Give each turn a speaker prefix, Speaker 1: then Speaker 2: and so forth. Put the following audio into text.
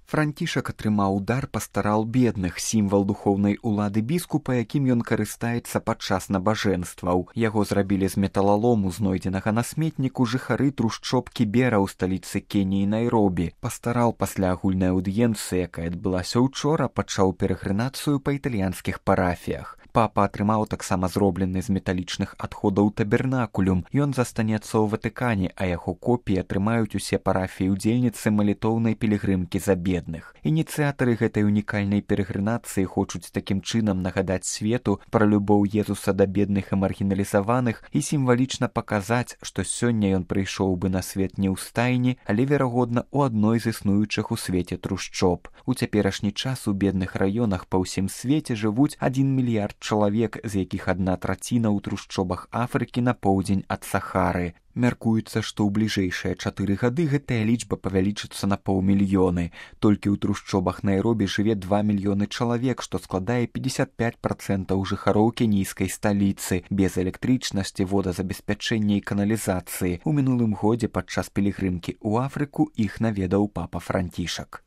Speaker 1: Францішак атрымаў дар пастарал бедных, сімвал духоўнай улады біскупа, якім ён карыстаецца падчас набажэнстваў. Яго зрабілі з металалому, знойдзенага на сметніку, жыхары трушчоб Кібера ў сталіцы Кеніі Найробі. Пастарал пасля агульнай аўдыенцыі, якая адбылася ўчора, пачаў перагрынацыю па італьянскіх парафіях. Папа атрымаў таксама зроблены з металічных адходаў табернакулюм. Ён застанецца ў Ватыкане, а яго копіі атрымаюць усе парафіі удзельніцы малітоўнай пілігрымкі за бедных. Ініцыятары гэтай унікальнай перагрынацыі хочуць такім чынам нагадаць свету пра любоў Езуса да бедных і маргіналізаваных і сімвалічна паказаць, што сёння ён прыйшоў бы на свет не ў стайні, але, верагодна, у адной з існуючых у свеце трушчоб. У цяперашні час у бедных раёнах па ўсім свеце жывуць 1 мільярд чалавек, з якіх 1/3 ў трушчобах Афрыкі на поўдзень ад Сахары. Мяркуецца, што ў бліжэйшыя 4 гады гэтая лічба павялічыцца на 500 000. Толькі ў трушчобах Найробі жыве 2 мільёны чалавек, што складае 55% жыхароў кенійскай сталіцы, без электрычнасці, водазабеспячэння і каналізацыі. У мінулым годзе падчас пілігрымкі ў Афрыку іх наведаў папа Францішак.